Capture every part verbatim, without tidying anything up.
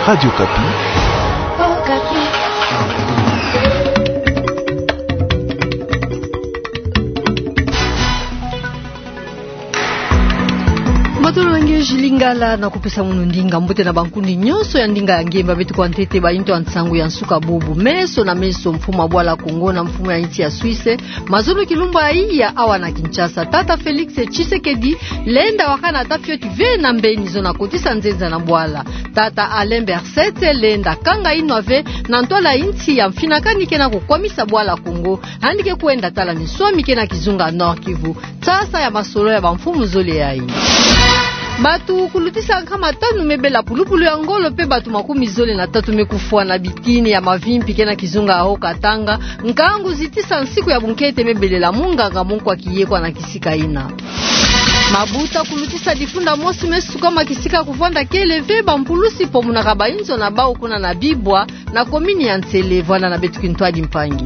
Radio Okapi. Matondo na nge Jules Lingala, na kupesa munu ndinga. Mbote na bankundi nyonso ya ndinga ya nge, mba beto kwa ntete bainto ya nsangu ya nsuka bubu. Meso na meso, mfumu ya bwala Kongo na mfumu ya insi ya Suisse, mazono kilumbu ya iya awa na Kinshasa. Tata Félix Tshisekedi lenda wakana ata fioti ve na mbeni zo na kotisa nzenza na bwala. Tata Alain Berset lenda kanga inwa ve na ntwala insi ya mfinakani ke na kukwamisa bwala Kongo, yandi ke kwenda tala minswami ke na kizunga Nord-Kivu. Nsasa ya masolo ya bamfumu zole yayi. Bato kulutisa nkama tanu me bela pulupulu ya ngolo, mpe bato makumi zole na tatu me kufwa na bitini ya mavimpi ke na kizunga Haut-Katanga, nkangu zitisa nsiku ya bunkete me belela munganga mu nkwa kiye kwa na kisika yina. Mabuta kulutisa difunda mosi me sukama kisika kuvwanda kele ve, bampulusi pomunaka bainzo na bau kuna na Bibwa, na komini ya Nsele. Vwanda na beto kintwadi mpangi.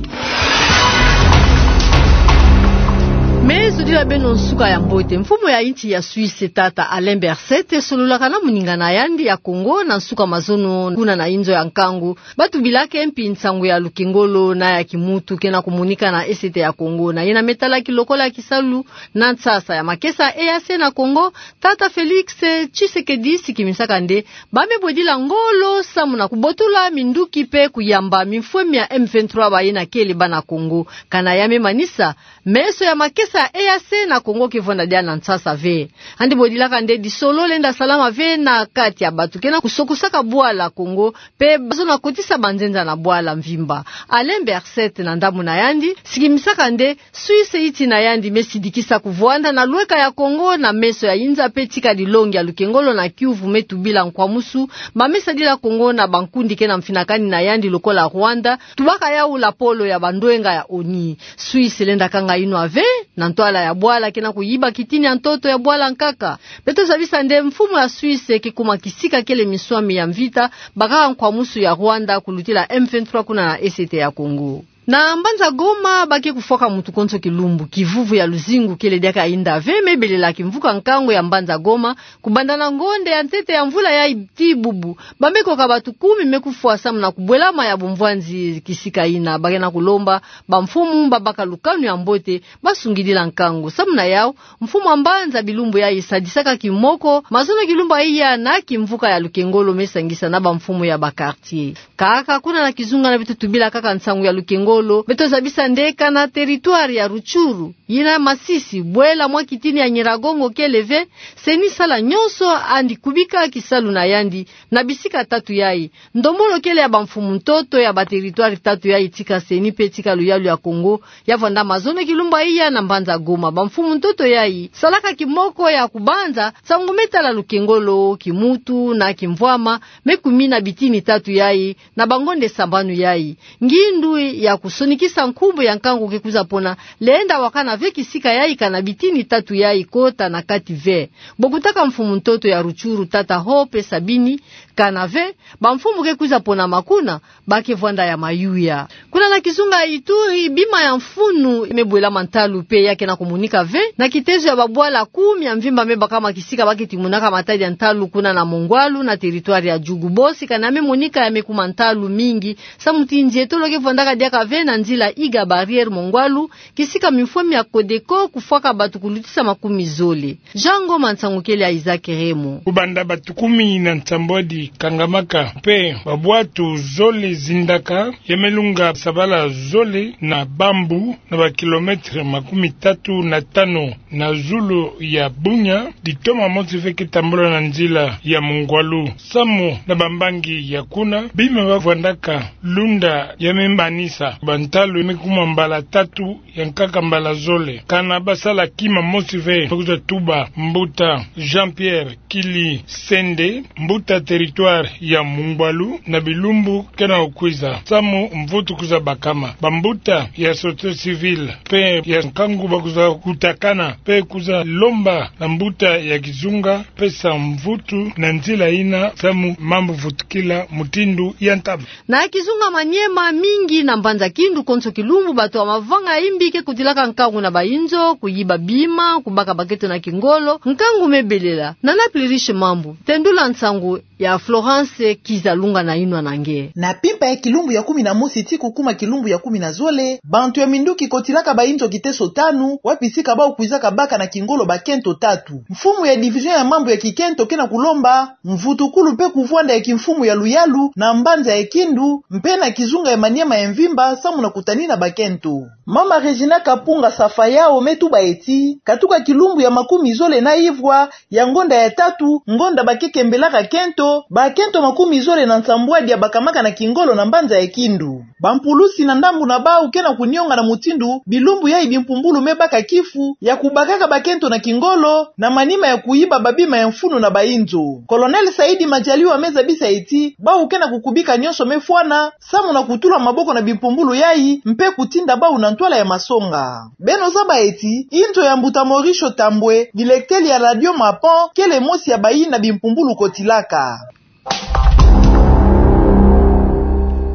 Me zodila beno nsuka ya mbote. Mfumu ya insi ya Suisse, tata Alain Berset, sololaka na moninga na yandi ya Kongo na nsuka mazono kuna na inzo ya nkangu, ba tubilaka mpi nsangu ya lukengolo na ya kimutu ke na kumonika na Est ya Kongo, na yina me talaki lokola kisalu na nsasa ya makesa E A C na Kongo. Tata Félix Tshisekedi sikimisaka nde ba me bwedila ngolo samu na kubotula minduki mpe kuyamba mimfwemi ya M vingt-trois baye na kele bana Kongo. Kana ya me manisa, meso ya makesa ya E A C na Kongo ke vwanda diaka na nsasa ve. Yandi bwedilaka nde disolo lenda salama ve na kati ya bato ke na kusokosaka bwala Kongo, mpe bazo na kotisa banzenza na bwala mvimba. Alain Berset na ndambu na yandi sikimisaka nde Suisse, insi na yandi me sidikisa kuvwanda na lweka ya Kongo na meso ya inza, mpe tika dilongi ya lukengolo na kiuvu me tubila nkwamusu, ba me sadila Kongo na bankundi ke na mfinakani na yandi lokola Rwanda, tubaka yau lapolo ya bandwenga ya ONU. Suisse lenda kanga inwa ve na ntwala ya bwala ke na kuyiba kitini ya ntoto ya bwala nkaka. Beto zabisa nde mfumu ya Suisse ke kuma kisika kele minswami ya mvita, bakaka nkwamusu ya Rwanda kulutila M vingt-trois kuna na Est ya Kongo. Na mbanza Goma, ba ke kufwaka mutu konso kilumbu. Kivuvu ya luzingu kele diaka inda ve, me belela kimvuka nkangu ya mbanza Goma, kubanda na ngonde ya ntete ya mvula yayi tii bubu, ba me koka bato kumi me kufwa samu na kubwelama ya bumvwanzi kisika yina. Ba ke na kulomba bamfumu ba baka lukanu ya mbote, ba sungidila nkangu. Samu na yau, mfumu ya mbanza bilumbu yayi sadisaka kimoko mazono kilumbu ya iya na kimvuka ya lukengolo, me sangisa na bamfumu ya ba quartier. Kaka kuna na kizunga na beto tubila kaka nsangu ya lukengolo, beto zabisa nde kana territoire ya Rutshuru, yina Masisi, bwela mwa kitini ya Nyiragongo kele ve, CENI sala nyonso yandi kubika kisalu na yandi na bisika tatu yayi. Ndombolo kele ya bamfumu ntoto ya ba territoire tatu yayi tika CENI mpe tika Luyalu ya Kongo, ya vwanda mazono kilumbu ya iya na mbanza Goma. Bamfumu ntoto yayi salaka kimoko ya kubanza nsangu me tala lukengolo, kimutu na kimvwama, me kumina bitini tatu yayi na bangonde sambanu yayi. Ngindu ya kusonikisa nkumbu ya nkangu ke kwiza pona, lenda wakana ve kisika yayi kana bitini tatu yayi kota na kati ve. Bokutaka mfumu ntoto ya Rutshuru, tata Hope Sabini, kana ve bamfumu ke kwiza ponama kuna, ba ke vwanda ya mayuya. Kuna na kizunga ya Ituri, bima ya mfunu me bwelama ntalu mpe ya ke na kumonika ve na kitezo ya babwala kumi ya mvimba me bakama kisika ba ke timonaka matadi ya ntalu kuna na Mongwalu na territoire ya Djugu. Bosi kana ya me monika ya me kuma ntalu mingi, samu ti nzietolo ke vwandaka diaka ve na nzila Iga Barrière Mongwalu, kisika mimfwemi ya Codeco kufwaka bato kulutisa makumi zole. Jean Ngoma, nsangu kele ya Isaac Remo. Kubanda bato kumi na nsambwadi kangamaka, mpe babwatu zole zindaka, ya me lunga sabala zole na bambu na ba kilomètre makumi tatu na tano na zulu ya Bunia, ditoma mosi ve ke tambula na nzila ya Mongwalu. Samu na bambangi ya kuna, bima ba vwandaka lunda ya me manisa, bantalu me kuma mbala tatu ya nkaka mbala zole. Kana ba sala kima mosi ve, me kwiza tuba mbuta Jean-Pierre Kili Sende, mbuta territoire ya Mongwalu, na bilumbu ke na kukwiza, samu mvutu kwiza bakama. Bambuta ya société civile mpe ya nkangu ba kwiza kutakana mpe kwiza lomba na mbuta ya kizunga pesa mvutu na nzila yina, samu mambu vutukila mutindu ya ntama. Na kizunga Maniema, mingi na mbanza Kindu konso kilumbu, bato ya mavanga ya imbi ke kutilaka nkangu na bayinzo, kuyiba bima, kubaka baketo na kingolo. Nkangu me belela. Nana Pluriche Mambu, tendula nsangu. Ya Florence Kizalunga na inwa na nge. Na mpimpa ya kilumbu ya kumi na mosi tii kukuma kilumbu ya kumi na zole, bantu ya minduki kotilaka bainzo kiteso tanu, wapi sika bau kwizaka baka na kingolo bakento tatu. Mfumu ya division ya mambu ya kikento ke na kulomba mvutukulu mpe kuvwanda ya kimfumu ya luyalu na mbanza ya Kindu, mpe na kizunga ya Maniema ya mvimba, samu na kutanina bakento. Mama Regina Kapunga Safayao me tuba ti, katuka kilumbu ya makumi zole na ivwa ya ngonda ya tatu, ngonda ba ke kembelaka kento, bakento makumi zole na nsambwadi ya bakamaka na kingolo na mbanza ya Kindu. Bampulusi na ndambu na bau ke na kunionga na mutindu bilumbu yayi bimpumbulu me baka kifu ya kubakaka bakento na kingolo, na manima ya kuyiba babima ya mfunu na bainzo. Colonel Saidi Majaliwa me zabisa ti, bau ke na kukubika nyonso me fwana, samu na kutula maboko na bimpumbulu yayi, mpe kutinda bau na ntwala ya masonga. Beno zaba ti, inzo ya mbuta Mauricio Tambwe, dilekteli ya Radio Mapon, kele mosi ya bayina bimpumbulu kotilaka.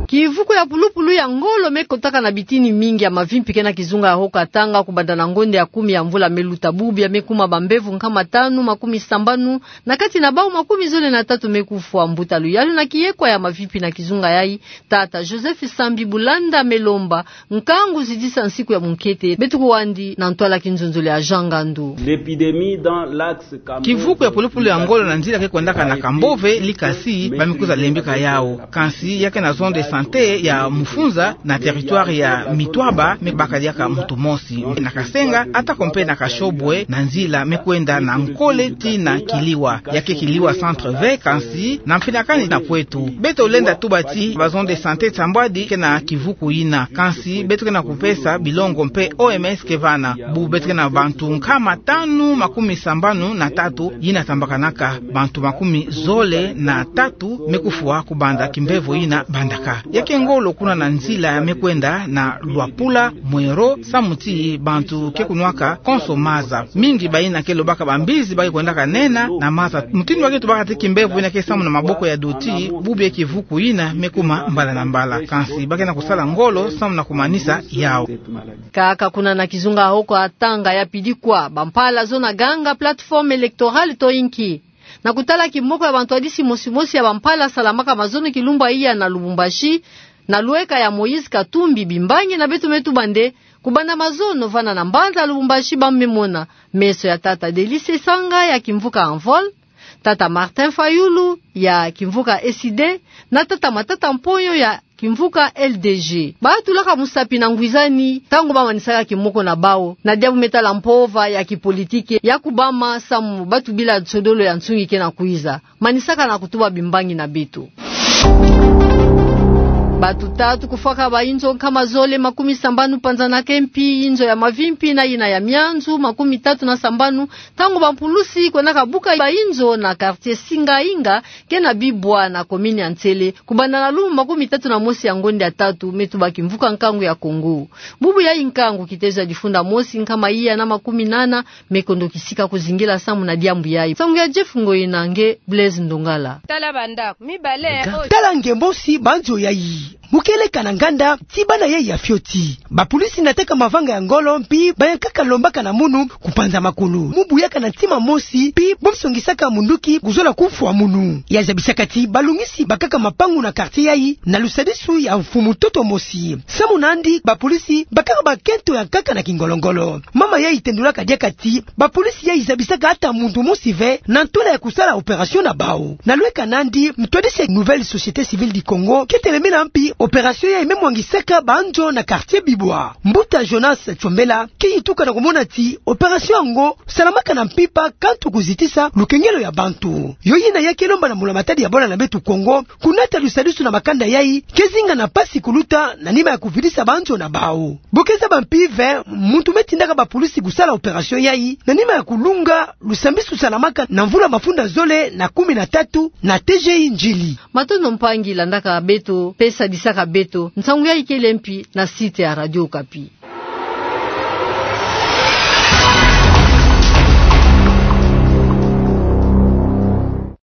Kivuku ya pulupulu ya ngolo me kotaka na bitini mingi ya mavimpi ke na kizunga ya Haut-Katanga kubanda na ngonda ya kumi ya mvula me luta. Bubu ya me kuma bambevo nkama tanu makumi sambanu, na kati na bau makumi zole na tatu me kufwa. Mbuta luyalu na kiyekwa ya mavimpi na kizunga yayi, tata Joseph Sambi Bulanda, me lomba nkangu zidisa nsiku ya munkete, beto kuwandi na ntwala kinzonzolo ya Jean Ngandu. L'épidémie dans l'axe Cambove. Kivuku ya pulupulu ya ngolo na nzila ke kwendaka na Cambove, likasi ba me kwiza lembeka yau. Kansi ya ke na zone de santé ya Mufunza, na territoire ya Mitwaba, me baka diaka muntu mosi. Na Kasenga, atako mpe na Kashobwe, na nzila me kwenda na Nkole tii na Kiliwa. Ya ke Kiliwa centre ve, kansi na mfinakani na kwetu. Beto lenda tuba ti, ba zone de santé nsambwadi ke na kivuku yina. Kansi beto ke na kupesa bilongo mpe O M S ke vana. Bubu beto ke na bantu nkama tanu makumi sambanu na tatu yina tambakanaka. Bantu makumi zole na tatu me kufwa kubanda kimbevo yina bandaka. Ya ke ngolo kuna na nzila me kwenda na Luapula, Mwero, samu ti bantu ke kunwaka konso maza. Mingi bayina ke lobaka bambizi ba ke kwendaka nena na maza. Mutindu ba ke tubaka ti kimbevo yina ke samu na maboko ya doti, bubu ya kivuku yina me kuma mbala na mbala. Kansi ba ke na kusala ngolo samu na kumanisa yau. Kaka kuna na kizunga Haut-Katanga, ya pidi kwa bampala zo na ganga plateforme électorale to inki. Na kutala kimoko ya bantwadisi mosi mosi ya bampala salamaka mazono kilumbu ya iya na Lubumbashi, na lweka ya Moïse Katumbi, bimbangi na beto me tuba nde, kubanda mazono vana na mbanza Lubumbashi ba me mona meso ya tata Delice Sanga ya kimvuka Envol, tata Martin Fayulu ya kimvuka S I D, na tata Matata Mponyo ya kimvuka L D G. Ba tulaka musapi na ngwizani, ntangu ba manisaka kimoko na bau, na diabu me tala mpova ya kipolitiki ya kubama samu ba tubila nsodolo ya nsungi ke na kwiza. Manisaka na kutuba bimbangi na beto. Batu tatu kufwaka, ba inzo nkama zole makumi sambanu panzanaka mpi, inzo ya mavimpi na yina ya mianzu makumi tatu na sambanu, ntangu bampulusi kwendaka buka ba inzo na quartier Singa Inga, ke na Bibwa na commune ya Nsele, kubanda na lumbu makumi tatu na mosi ya ngonda ya tatu, me tuba kimvuka nkangu ya Kongo. Bubu yayi nkangu kitezo ya difunda mosi nkama iya na makumi nana me kondo kisika kuzingila samu na diambu yayi. Nsangu ya Jeff Ngoyi na nge Blaise Ndongala. Tala banda, mibale, o. Tala nge mosi banzo yayi. Mu kieleka na nganda, ti bana yayi ya fioti. Bapolisi nataka mavanga ya ngolo, mpi bayankaka lombaka na munu kupanza makulu. Mu buyaka na ntima mosi, mpi bo songisaka munduki kuzola kufwa munu. Ya zabisaka ti balungisi bakaka mapangu na quartier yayi, na lusadisu ya mfumu ntoto mosi. Samu nandi, bapolisi bakaka bakento ya nkaka na kingolo-ngolo. Mama yayi tendulaka diaka ti, bapolisi yayi zabisaka ata muntu mosi ve, na ntula ya kusala opération na bau. Na lweka nandi, ntwadisi ya Nouvelle Société Civile du Congo ke telemena mpi opération yayi me mwangisaka banzo na quartier Bibwa. Mbuta Jonas Tsombela ke yituka na kumona ti opération yango salamaka na mpimpa kanto kuzitisa lukengelo ya bantu. Yo yina ya ke lomba na mbula matadi ya bwala na beto Kongo kunata lusadisu na makanda yayi ke zinga na mpasi kuluta na nima ya kuvidisa banzo na bau. Bo ke zaba mpi ve muntu me tindaka bapolisi kusala opération yayi na nima ya kulunga lusambisi lusalamaka na mvula mafunda zole na kumi na tatu na T G I Ndjili. Matondo mpangi landaka beto, pe sadisaka beto. Nsangu yayi kele mpi na site ya Radio Okapi.